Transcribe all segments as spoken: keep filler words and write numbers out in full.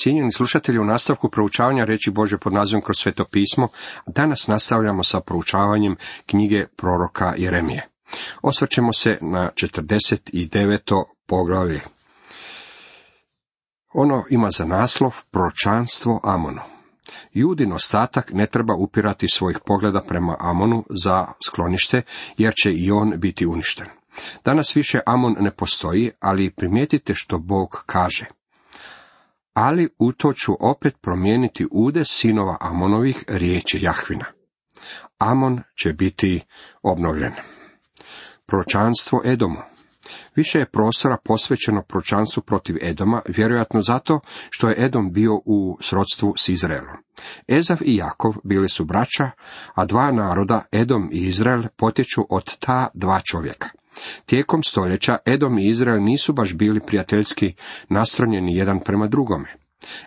Cijenjeni slušatelji, u nastavku proučavanja riječi Božje pod nazivom Kroz sveto pismo, danas nastavljamo sa proučavanjem knjige proroka Jeremije. Osvrćemo se na četrdeset deveto poglavlje. Ono ima za naslov Proročanstvo Amonu. Judin ostatak ne treba upirati svojih pogleda prema Amonu za sklonište, jer će i on biti uništen. Danas više Amon ne postoji, ali primijetite što Bog kaže. Ali u to ću opet promijeniti udes sinova Amonovih, riječi Jahvina. Amon će biti obnovljen. Proročanstvo Edomu. Više je prostora posvećeno proročanstvu protiv Edoma, vjerojatno zato što je Edom bio u srodstvu s Izraelom. Ezav i Jakov bili su braća, a dva naroda, Edom i Izrael, potječu od ta dva čovjeka. Tijekom stoljeća Edom i Izrael nisu baš bili prijateljski nastrojeni jedan prema drugome.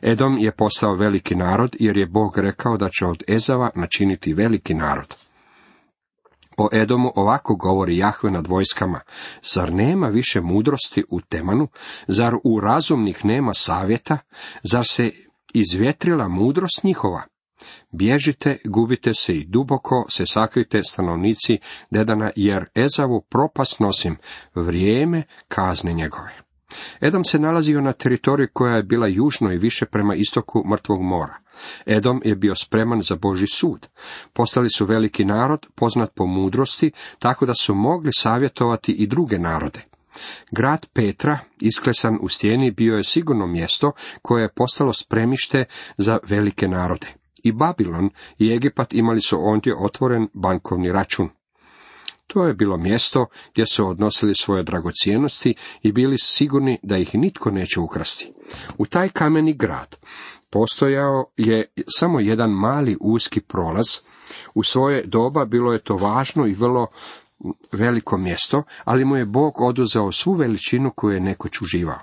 Edom je postao veliki narod jer je Bog rekao da će od Ezava načiniti veliki narod. O Edomu ovako govori Jahve nad vojskama: zar nema više mudrosti u Temanu, zar u razumnih nema savjeta, zar se izvjetrila mudrost njihova? Bježite, gubite se i duboko se sakrite, stanovnici Dedana, jer Ezavu propast nosim, vrijeme kazne njegove. Edom se nalazio na teritoriji koja je bila južno i više prema istoku Mrtvog mora. Edom je bio spreman za Božji sud. Postali su veliki narod, poznat po mudrosti, tako da su mogli savjetovati i druge narode. Grad Petra, isklesan u stijeni, bio je sigurno mjesto koje je postalo spremište za velike narode. I Babilon i Egipat imali su ondje otvoren bankovni račun. To je bilo mjesto gdje su odnosili svoje dragocjenosti i bili sigurni da ih nitko neće ukrasti. U taj kameni grad postojao je samo jedan mali uski prolaz. U svoje doba bilo je to važno i vrlo veliko mjesto, ali mu je Bog oduzeo svu veličinu koju je nekoć uživao.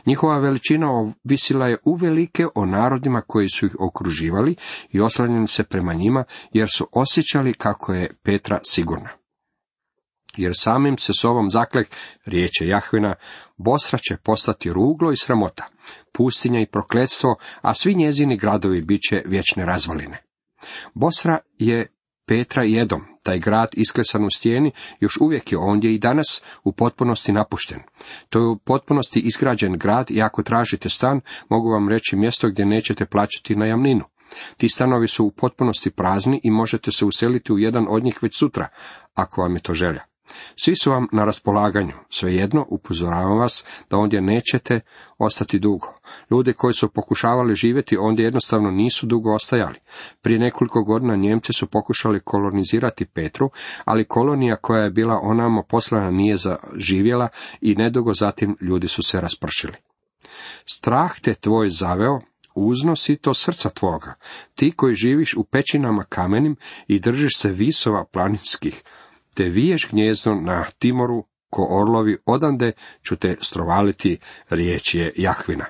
Njihova veličina ovisila je uvelike o narodima koji su ih okruživali i oslanjali se prema njima, jer su osjećali kako je Petra sigurna. Jer samim se sobom zaklek, riječ je Jahvina, Bosra će postati ruglo i sramota, pustinja i prokletstvo, a svi njezini gradovi bit će vječne razvaline. Bosra je Petra i Edom, taj grad isklesan u stijeni, još uvijek je ondje i danas u potpunosti napušten. To je u potpunosti izgrađen grad i ako tražite stan, mogu vam reći mjesto gdje nećete plaćati najamninu. Ti stanovi su u potpunosti prazni i možete se useliti u jedan od njih već sutra, ako vam je to želja. Svi su vam na raspolaganju, svejedno upozoravam vas da ondje nećete ostati dugo. Ljudi koji su pokušavali živjeti ondje jednostavno nisu dugo ostajali. Prije nekoliko godina Njemci su pokušali kolonizirati Petru, ali kolonija koja je bila onamo poslana nije zaživjela i nedugo zatim ljudi su se raspršili. Strah te tvoj zaveo, uznosi to srca tvoga, ti koji živiš u pećinama kamenim i držiš se visova planinskih, te viješ gnjezdo na Timoru, ko orlovi, odande ću te strovaliti, riječ je Jahvina.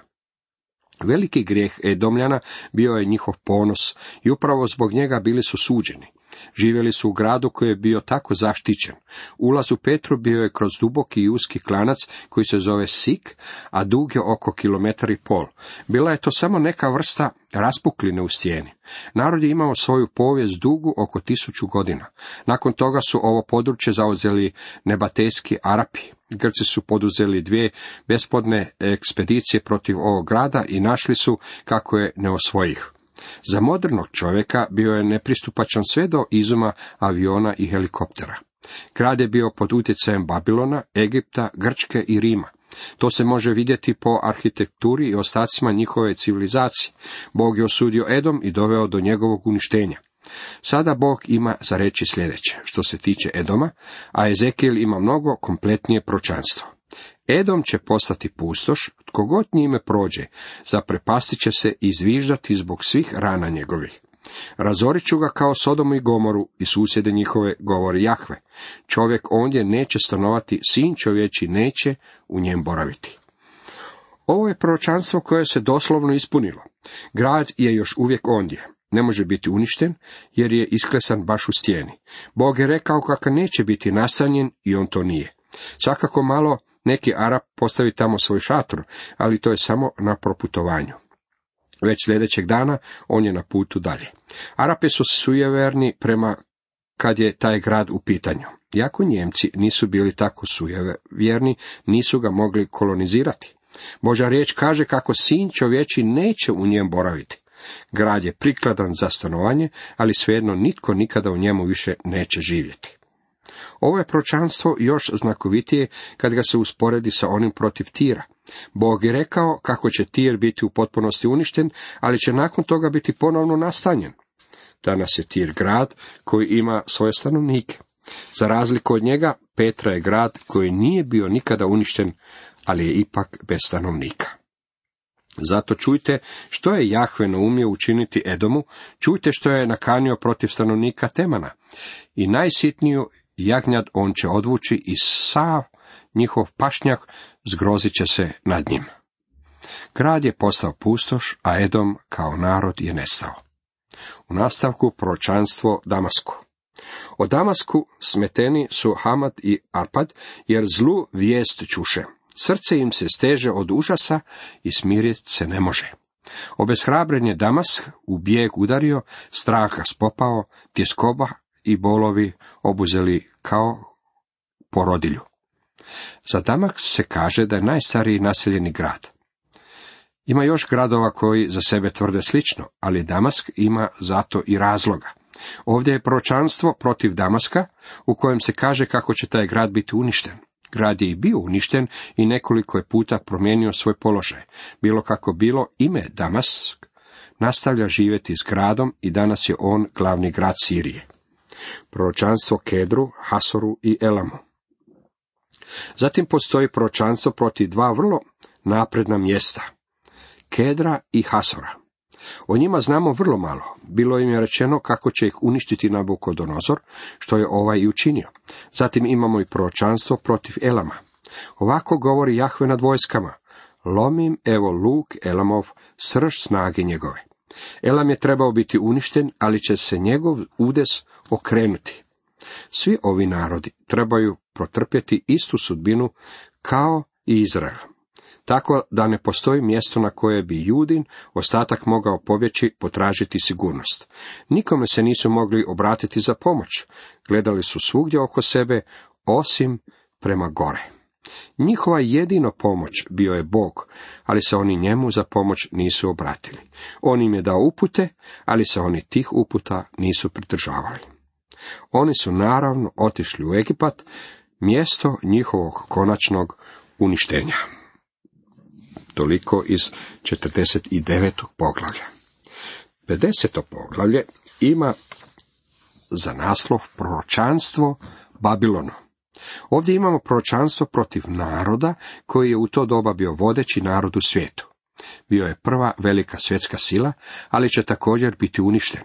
Veliki grijeh Edomljana bio je njihov ponos i upravo zbog njega bili su suđeni. Živjeli su u gradu koji je bio tako zaštićen. Ulaz u Petru bio je kroz duboki i uski klanac koji se zove Sik, a dug je oko kilometar i pol. Bila je to samo neka vrsta raspukline u stijeni. Narod je imao svoju povijest dugu oko tisuću godina. Nakon toga su ovo područje zauzeli nebatejski Arapi. Grci su poduzeli dvije besplodne ekspedicije protiv ovog grada i našli su kako je ne osvojih. Za modernog čovjeka bio je nepristupačan sve do izuma aviona i helikoptera. Grad je bio pod utjecajem Babilona, Egipta, Grčke i Rima. To se može vidjeti po arhitekturi i ostacima njihove civilizacije. Bog je osudio Edom i doveo do njegovog uništenja. Sada Bog ima za reći sljedeće što se tiče Edoma, a Ezekijel ima mnogo kompletnije proročanstvo. Edom će postati pustoš, tko god njime prođe, zaprepastit će se i zviždati zbog svih rana njegovih. Razorit ću ga kao Sodomu i Gomoru i susjede njihove, govori Jahve. Čovjek ondje neće stanovati, sin čovječi neće u njem boraviti. Ovo je proročanstvo koje se doslovno ispunilo. Grad je još uvijek ondje. Ne može biti uništen, jer je isklesan baš u stijeni. Bog je rekao kako neće biti nastanjen i on to nije. Svakako malo neki Arap postavi tamo svoj šator, ali to je samo na proputovanju. Već sljedećeg dana on je na putu dalje. Arapi su sujeverni prema kad je taj grad u pitanju. Iako Njemci nisu bili tako sujevjerni, nisu ga mogli kolonizirati. Božja riječ kaže kako sin čovječi neće u njem boraviti. Grad je prikladan za stanovanje, ali svejedno nitko nikada u njemu više neće živjeti. Ovo je proročanstvo još znakovitije kad ga se usporedi sa onim protiv Tira. Bog je rekao kako će Tir biti u potpunosti uništen, ali će nakon toga biti ponovno nastanjen. Danas je Tir grad koji ima svoje stanovnike. Za razliku od njega, Petra je grad koji nije bio nikada uništen, ali je ipak bez stanovnika. Zato čujte što je Jahve naumio učiniti Edomu, čujte što je nakanio protiv stanovnika Temana. I najsitniju jagnjad on će odvući i sav njihov pašnjak zgrozit će se nad njim. Grad je postao pustoš, a Edom kao narod je nestao. U nastavku proročanstvo Damasku. O Damasku smeteni su Hamad i Arpad, jer zlu vijest čuše. Srce im se steže od užasa i smiriti se ne može. Obeshrabren je Damask u bijeg udario, strah ga spopao, tjeskoba i bolovi obuzeli kao porodilju. Za Damask se kaže da je najstariji naseljeni grad. Ima još gradova koji za sebe tvrde slično, ali Damask ima zato i razloga. Ovdje je proročanstvo protiv Damaska, u kojem se kaže kako će taj grad biti uništen. Grad je i bio uništen i nekoliko je puta promijenio svoj položaj. Bilo kako bilo, ime Damask nastavlja živjeti s gradom i danas je on glavni grad Sirije. Proročanstvo Kedru, Hasoru i Elamu. Zatim postoji proročanstvo protiv dva vrlo napredna mjesta, Kedra i Hasora. O njima znamo vrlo malo. Bilo im je rečeno kako će ih uništiti Nabukodonozor, što je ovaj i učinio. Zatim imamo i proročanstvo protiv Elama. Ovako govori Jahve nad vojskama: lomim evo luk Elamov, srž snage njegove. Elam je trebao biti uništen, ali će se njegov udes okrenuti. Svi ovi narodi trebaju protrpjeti istu sudbinu kao i Izrael. Tako da ne postoji mjesto na koje bi Judin ostatak mogao pobjeći potražiti sigurnost. Nikome se nisu mogli obratiti za pomoć. Gledali su svugdje oko sebe, osim prema gore. Njihova jedino pomoć bio je Bog, ali se oni njemu za pomoć nisu obratili. On im je dao upute, ali se oni tih uputa nisu pridržavali. Oni su naravno otišli u Egipat, mjesto njihovog konačnog uništenja. Toliko iz četrdeset devetog poglavlja. pedeseto poglavlje ima za naslov proročanstvo Babilonu. Ovdje imamo proročanstvo protiv naroda koji je u to doba bio vodeći narod u svijetu. Bio je prva velika svjetska sila, ali će također biti uništen.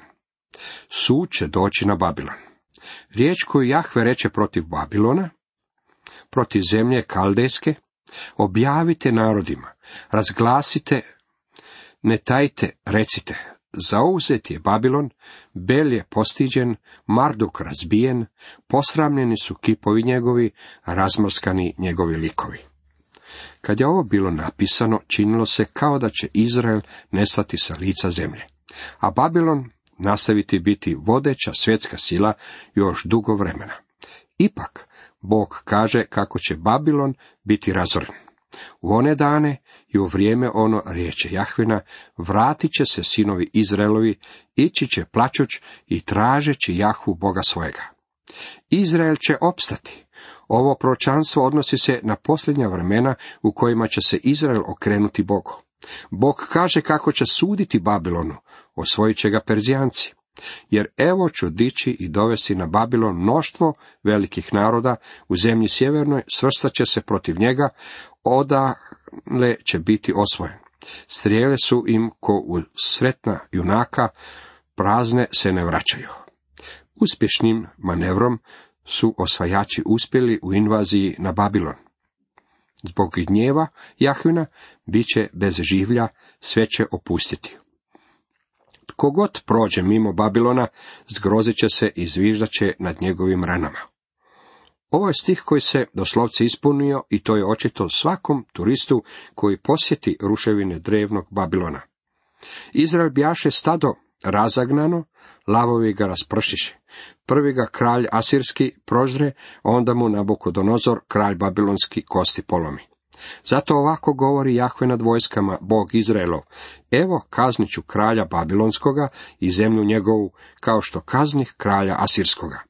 Sud će doći na Babilon. Riječ koju Jahve reče protiv Babilona, protiv zemlje Kaldejske: objavite narodima, razglasite, ne tajte, recite, zauzet je Babilon, Bel je postiđen, Marduk razbijen, posramljeni su kipovi njegovi, razmrskani njegovi likovi. Kad je ovo bilo napisano, činilo se kao da će Izrael nestati sa lica zemlje, a Babilon nastaviti biti vodeća svjetska sila još dugo vremena. Ipak, Bog kaže kako će Babilon biti razoren. U one dane i u vrijeme ono, riječe Jahvina, vratit će se sinovi Izraelovi, ići će plačuć i tražeći Jahvu Boga svojega. Izrael će opstati. Ovo proročanstvo odnosi se na posljednja vremena u kojima će se Izrael okrenuti Bogu. Bog kaže kako će suditi Babilonu, osvojit će ga Perzijanci. Jer evo ću dići i dovesti na Babilon mnoštvo velikih naroda, u zemlji sjevernoj svrstat će se protiv njega, odale će biti osvojen. Strijele su im ko u sretna junaka, prazne se ne vraćaju. Uspješnim manevrom su osvajači uspjeli u invaziji na Babilon. Zbog gnjeva Jahvina bit će bez življa, sve će opustiti. Tko god prođe mimo Babilona, zgrozit će se i zviždat će nad njegovim ranama. Ovo je stih koji se doslovce ispunio i to je očito svakom turistu koji posjeti ruševine drevnog Babilona. Izrael bjaše stado razagnano, lavovi ga raspršiše. Prvi ga kralj asirski prožre, onda mu Nabukodonozor, kralj babilonski, kosti polomi. Zato ovako govori Jahve nad vojskama, Bog Izraelov: evo kaznit ću kralja babilonskoga i zemlju njegovu, kao što kaznih kralja asirskoga.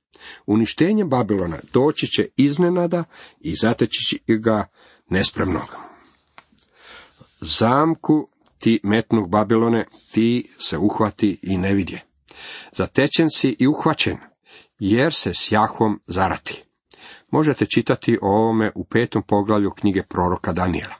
Uništenje Babilona doći će iznenada i zateći ga nespremnog. Zamku ti metnuh Babilone, ti se uhvati i ne vidje. Zatečen si i uhvaćen, jer se s Jahvom zarati. Možete čitati o ovome u petom poglavlju knjige proroka Danijela.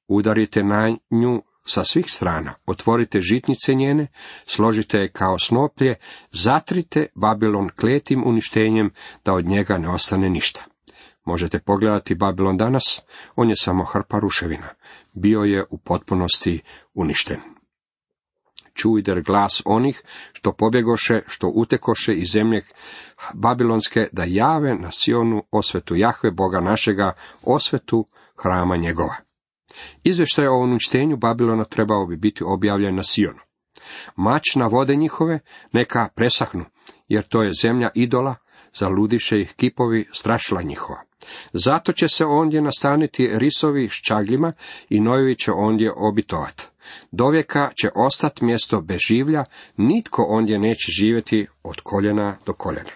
Udarite na nju sa svih strana, otvorite žitnice njene, složite je kao snoplje, zatrite Babilon kletim uništenjem, da od njega ne ostane ništa. Možete pogledati Babilon danas, on je samo hrpa ruševina, bio je u potpunosti uništen. Čujte glas onih što pobjegoše, što utekoše iz zemlje babilonske, da jave na Sionu osvetu Jahve, Boga našega, osvetu hrama njegova. Izvještaj o uništenju Babilona trebao bi biti objavljen na Sionu. Mač na vode njihove neka presahnu, jer to je zemlja idola, zaludiše ih kipovi strašila njihova. Zato će se ondje nastaniti risovi s čagljima i nojevi će ondje obitovat. Dovijeka će ostati mjesto bez življa, nitko ondje neće živjeti od koljena do koljena.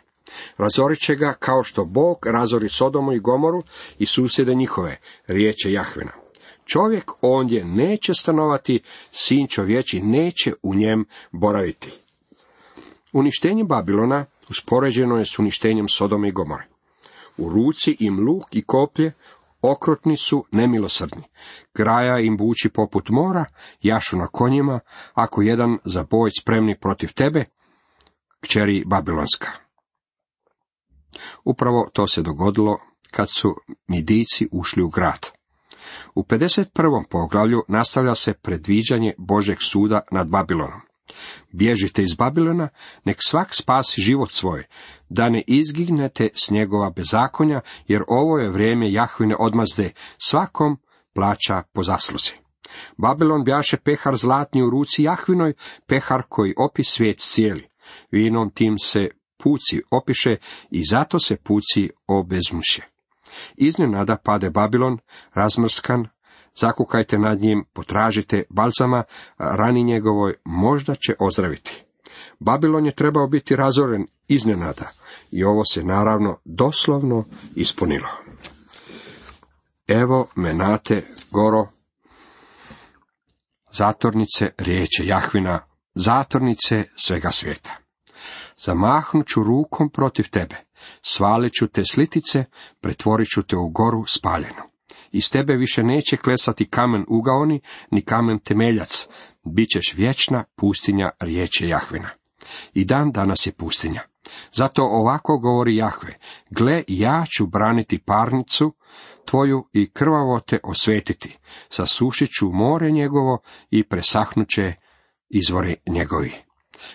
Razorit će ga kao što Bog razori Sodomu i Gomoru i susjede njihove, riječ je Jahvina. Čovjek ondje neće stanovati, sin čovječi neće u njem boraviti. Uništenje Babilona uspoređeno je s uništenjem Sodome i Gomore. U ruci im luk i koplje, okrutni su, nemilosrdni. Graja im buči poput mora, jašu na konjima, ako jedan za boj spremni protiv tebe, kćeri Babilonska. Upravo to se dogodilo kad su Midijci ušli u grad. U pedeset prvom poglavlju nastavlja se predviđanje Božeg suda nad Babilonom. Bježite iz Babilona, nek svak spasi život svoj, da ne izginete s njegova bezakonja, jer ovo je vrijeme Jahvine odmazde, svakom plaća po zasluzi. Babilon bjaše pehar zlatni u ruci Jahvinoj, pehar koji opi svijet cijeli. Vinom tim se puci opiše i zato se puci obezmuše. Iznenada pade Babilon, razmrskan, zakukajte nad njim, potražite balzama, rani njegovoj možda će ozdraviti. Babilon je trebao biti razoren iznenada i ovo se naravno doslovno ispunilo. Evo menate goro, zatornice riječe Jahvina, zatornice svega svijeta. Zamahnut ću rukom protiv tebe, svalit ću te slitice, pretvorit ću te u goru spaljenu. Iz tebe više neće klesati kamen ugaoni, ni kamen temeljac, bit ćeš vječna pustinja, riječe Jahvina. I dan danas je pustinja. Zato ovako govori Jahve: gle, ja ću braniti parnicu tvoju i krvavo te osvetiti, sasušit ću more njegovo i presahnut će izvori njegovi.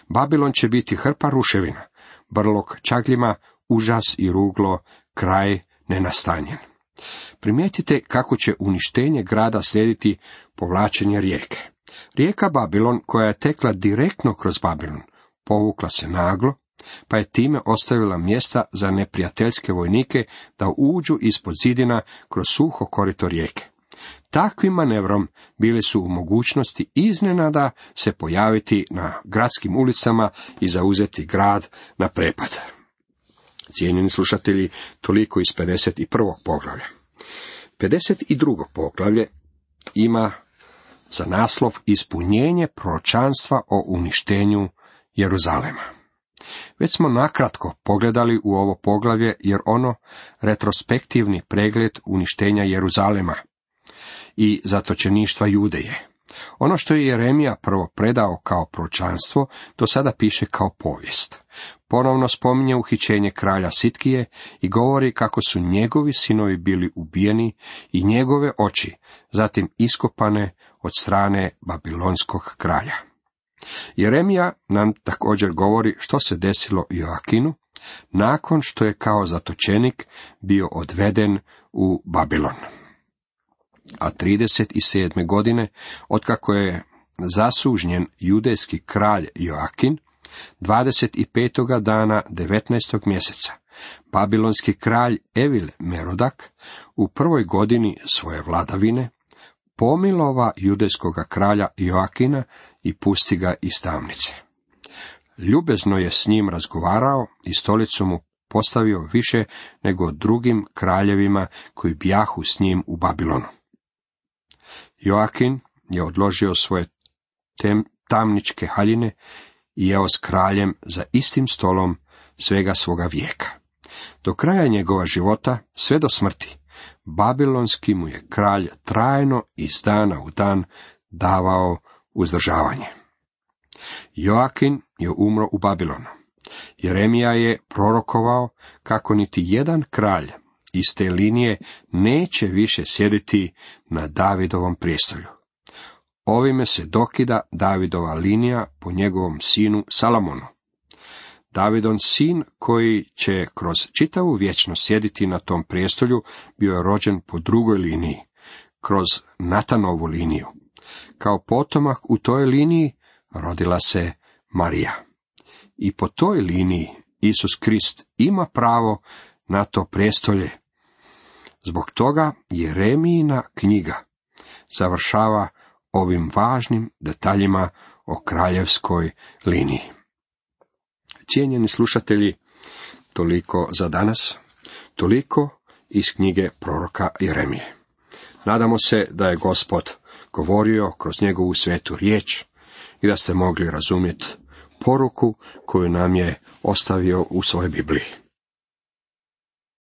Babilon će biti hrpa ruševina, brlog čagljima, užas i ruglo, kraj nenastanjen. Primijetite kako će uništenje grada slijediti povlačenje rijeke. Rijeka Babilon, koja je tekla direktno kroz Babilon, povukla se naglo, pa je time ostavila mjesta za neprijateljske vojnike da uđu ispod zidina kroz suho korito rijeke. Takvim manevrom bili su u mogućnosti iznenada se pojaviti na gradskim ulicama i zauzeti grad na prepad. Cijenjeni slušatelji, toliko iz pedeset prvog poglavlja. pedeset drugo poglavlje ima za naslov ispunjenje proročanstva o uništenju Jeruzalema. Već smo nakratko pogledali u ovo poglavlje, jer ono retrospektivni pregled uništenja Jeruzalema i zatočeništva Judeje. Ono što je Jeremija prvo predao kao proročanstvo, to sada piše kao povijest. Ponovno spominje uhićenje kralja Sitkije i govori kako su njegovi sinovi bili ubijeni i njegove oči zatim iskopane od strane babilonskog kralja. Jeremija nam također govori što se desilo Joakinu nakon što je kao zatočenik bio odveden u Babilon. A trideset sedme godine, otkako je zasužnjen judejski kralj Joakin, dvadeset petog dana devetnaestog mjeseca, babilonski kralj Evil Merodak u prvoj godini svoje vladavine pomilova judejskoga kralja Joakina i pusti ga iz tamnice. Ljubezno je s njim razgovarao i stolicu mu postavio više nego drugim kraljevima koji bjahu s njim u Babilonu. Joakin je odložio svoje tem, tamničke haljine i jeo s kraljem za istim stolom svega svoga vijeka. Do kraja njegova života, sve do smrti, babilonski mu je kralj trajno iz dana u dan davao uzdržavanje. Joakin je umro u Babilonu. Jeremija je prorokovao kako niti jedan kralj iz te linije neće više sjediti na Davidovom prijestolju. Ovime se dokida Davidova linija po njegovom sinu Salomonu. Davidon sin koji će kroz čitavu vječnost sjediti na tom prijestolju bio je rođen po drugoj liniji, kroz Natanovu liniju. Kao potomak u toj liniji rodila se Marija. I po toj liniji Isus Krist ima pravo na to prijestolje. Zbog toga Jeremijina knjiga završava ovim važnim detaljima o kraljevskoj liniji. Cijenjeni slušatelji, toliko za danas, toliko iz knjige proroka Jeremije. Nadamo se da je Gospod govorio kroz njegovu svetu riječ i da ste mogli razumjeti poruku koju nam je ostavio u svojoj Bibliji.